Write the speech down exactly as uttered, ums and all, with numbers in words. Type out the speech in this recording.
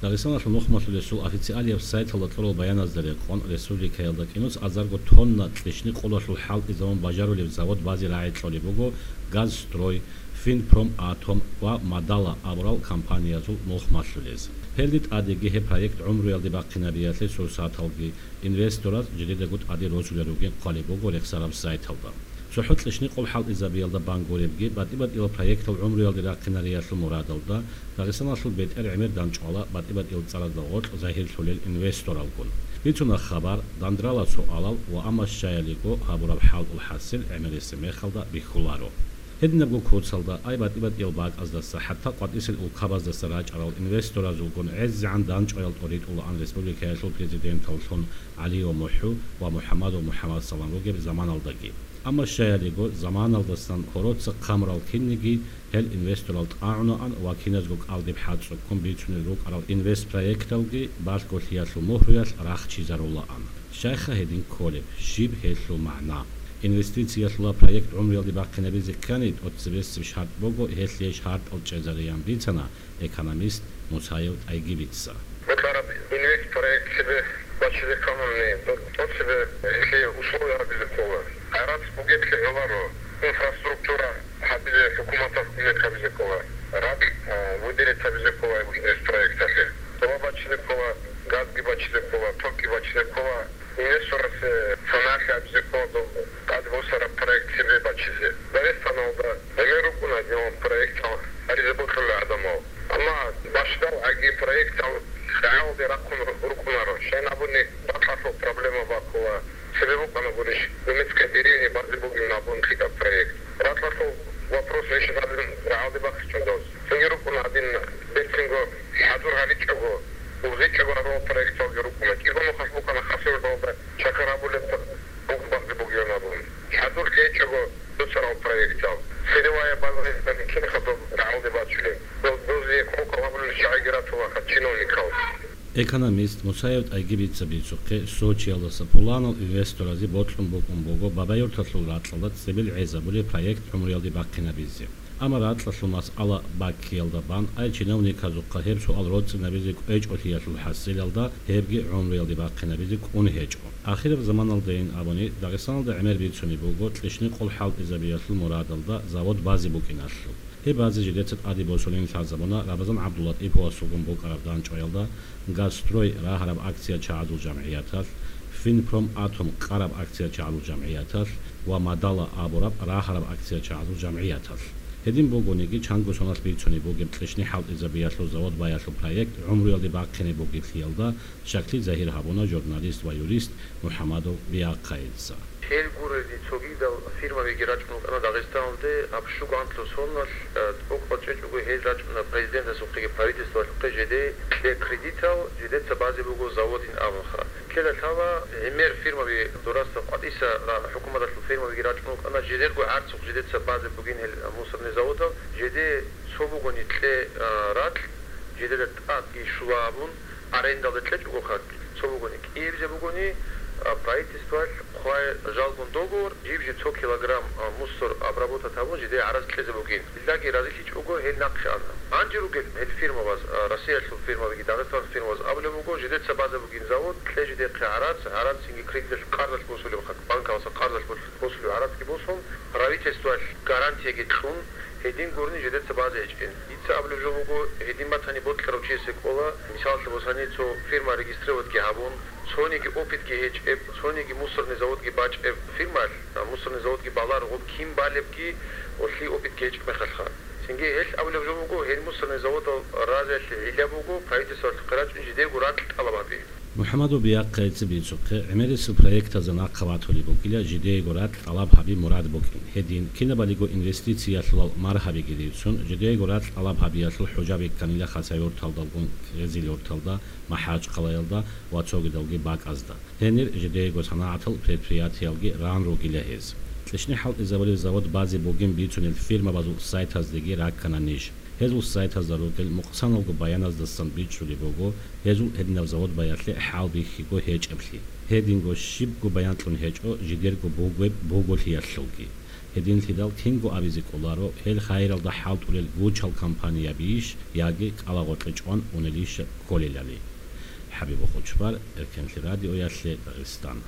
Дагъистаналъул нухмалъулесул официалияб сайталда кьурал баяназда рекъон, республикаялда кӀинус азарго тонна кьищни-къолалъул хӀалтӀизабун бажарулеб завод базе рагӀи кьолеб буго «Газстрой», «Финпроматом» ва «Мадала» абурал компаниязул нухмалъулез. Гьелде тӀадеги гьеб проект гӀумруялде бахъинабиялъе сурсаталги, инвестораз жидедаго тӀаде росулел ругин хъвалеб буго рехсараб сайталда. ЦохӀо кьищни-къол хӀалтӀизабиялда бан гуребги, батӀи-батӀиял проектал гӀумруялде рахъинариялъул мурадалда, Дагъистаналъул бетӀер гӀемер дандчӀвала батӀи-батӀиял цӀаразда гъоркь загьирлъулел инвесторалгун. Бицуна хабар, дандрала суалал ва амма щаялиго гьабураб хӀалтӀул хӀасил гӀемерисеб мехалда бихьуларо. Гьединабго куцалда, ай батӀи-батӀиял бакӀаздаса, хӀатта къватӀисел улкабаздаса рачӀарал инвесторазулгун гӀезегӀан дандчӀваял тӀоритӀулаан республикаялъул президенталлъун ГӀалиев МухӀу ва МухӀамадов МухӀамадсалам ругеб заманалдаги. Амма щаялиго, заманалдасан гьороца хъамурал кинниги гьел инвесторал тӀагӀунаан ва киназго кӀалдиб хӀацӀцӀуккун бицунел рукӀарал инвестпроекталги балъголъиялъул мухӀруялъ рахчизарулаан. Щайха гьедин кколеб, щиб гьелъул магӀна? Инвестициялъула проект гӀумруялде бахъинабизе ккани, тӀоцебесеб шартӀ буго гьелъие шартӀал чӀезареян бицана экономист Мусаев ТӀайгибица. Бокьараб инвестпроект цебе бачизе кканани, тӀоцебе гьелъие условия гьабизе ккола. ГӀарац бугеблъи гӀоларо, инфраструктура гьабизе хӀукуматалъ кумек гьабизе ккола, ракь, а, выделить гьабизе ккола инвестпроекталъе. Цола бачизе ккола, газги бачизе ккола, токги бачизе ккола. Инвесторасе саналъи абизе ккола доб тӀад босараб проект цебе бачизе. Дагъистаналда гӀемер рукӀуна динал проектал гьаризе бокьула гӀадамал. Амма бащдал гӀаги проектал рагӀалде рахъун ру-, рукӀунаро. Щайин абуни, ракьалъул проблема баккула. Цебе букӀана гурищ, немецкая деревня базе бугин абун лъикӀаб проект. Ракьалъул вопрос решать гьабин рагӀалде бахъичӀондал. Цинги рукӀуна гьадин, берцинго хӀадур гьаричӀого, ургъичӀого гьарурал проекталги рукӀуна. КӀиго нухалъ букӀана Хасавюрталда чакар гьабулеб буг базе бугилан абун. ХӀадур лъечӀого дуцарал проектал. Силовая база гьеб кинха доб рагӀалде бачулеб? Доб, дозие кӀокӀал гьабулел чагӀиги ратулаха чиновникал. Экономист Мусаев ТӀайгибица бицухъе, Сочиялдаса пуланал инвесторазе бокьун букӀун буго Бабаюрталъул ракьалда цебел гӀезабулеб проект гӀумруялде бахъинабизе. Амма ракьалъул масъала баккиялда бан, ай чиновниказухъа гьеб суал роцӀцӀинабизе кӀвечӀолъиялъул хӀасилалда, гьебги гӀумруялде бахъинабизе кӀун гьечӀо. Ахираб заманалдайин абуни, Дагъистаналда гӀемер бицунеб буго кьищни-къол хӀалтӀизабиялъул мурадалда завод базе букӀиналъул. Гьеб базе жидеца тӀаде босулин лъазабуна Рабазан ГӀабдуллатӀиповасулгун букӀараб дандчӀваялда «Газстрой» рагьараб акция чагӀазул жамгӀияталъ, «Финпроматом» кьараб акция чагӀазул жамгӀияталъ ва «Мадала» абураб рагьараб акция чагӀазул жамгӀияталъ. Гьедин бугониги, чанго соналъ бицунеб бугеб кьищни хӀалтӀизабиялъул завод баялъул проект гӀумруялде бахъине бугеблъиялда щаклъи загьир гьабуна журналист ва юрист МухӀамадов Биахъайица. Гьел гурелги цогидал фирмабиги рачӀун рукӀана Дагъистаналде, гьаб щуго анлъго соналъ, э, тӀокӀал чӀечӀого гьел рачӀуна президентасухъеги правительствалъухъе жеде кье кредитал, жидеца базе буго заводин абунха. Ккела лъала гӀемер фирмаби дурасда къватӀиса ра-, хӀукуматалъул фирмабиги рачӀун рукӀана, жидерго гӀарцухъ жидеца базе бугин гьел мусорный заводал, жеде цо бугони кье, э, ракь, жидеда тӀадги щула абун, арендалда кьечӀогоха, цо бугони, кӀиябизе бугони, а, правительствоялъ хъвай жалгун договор, жиб жи цо килограмм, а, мусор обработать гьабун, жидее гӀарац кьезе бугин. Иллаги разилъичӀого гьел нахъе ана. Гьанже ругел гьел фирмабаз, а, Россиялъул фирмабиги Дагъистаналъул фирмабаз абулеб буго, жидеца базе бугин завод, кье жидехъе гӀарац, гӀарац цинги кредиталъ къарзалъ босулеб, банкалъа къарзалъ босулеб гӀарацги босун, правительствоялъ гарантияги кьун, гьедин гурони жидеца базе гьечӀин. Дица абулеб жо буго, гьедин батани бокьарав чиясе кӀола, мисалалъе босани, цо фирма регистрироватьги гьабун, цониги опытги гьечӀеб, цониги мусорный заводги бачӀеб фирмаялъ, а, мусорный заводги баларо гъоб кин балебги, гъолъие опытги гьечӀеб мехалъха. Цинги гьелъ абулеб жо буго, гьел мусорный заводал разиялъе гӀилла буго, правительствоялъухъе рачӀун жидего ракь тӀалаб гьаби. МухӀамадов Биахъайица бицухъе, гӀемерисел проектазда нахъа ватулеб бугила жидеего ракь тӀалаб гьаби мурад букӀин. Гьедин, кинабалиго инвестициялъулал маргьабиги рицун, жидеего ракь тӀалаб гьабиялъул хӀужаби кканила Хасавюрталдалгун Къизилюрталда, МахӀачхъалаялда ва цогидалги бакӀазда. Гьенир жидеего санагӀатал предприятиялги ран ругила гьез. Кьишни хӀалтӀизабулеб завод базе бугин бицунел фирмабазул сайтаздеги раккана ниж. Гьезул сайтазда ругел мукъсаналго баяназдасан бичӀчӀулеб буго, гьезул гьединаб завод баялъе хӀалбихьиго гьечӀеблъи. Гьединго щибго баянкьун гьечӀо жидерго бугеб буголъиялъулги. Гьединлъидал кинго абизе кӀоларо, гьел хайиралда хӀалтӀулел гучал кампаниябийищ яги кӀалагъоркье чӀван унелищ кколелали. ХӀабиб Хучбар, Эркенлъи радиоялъе, Дагъистан.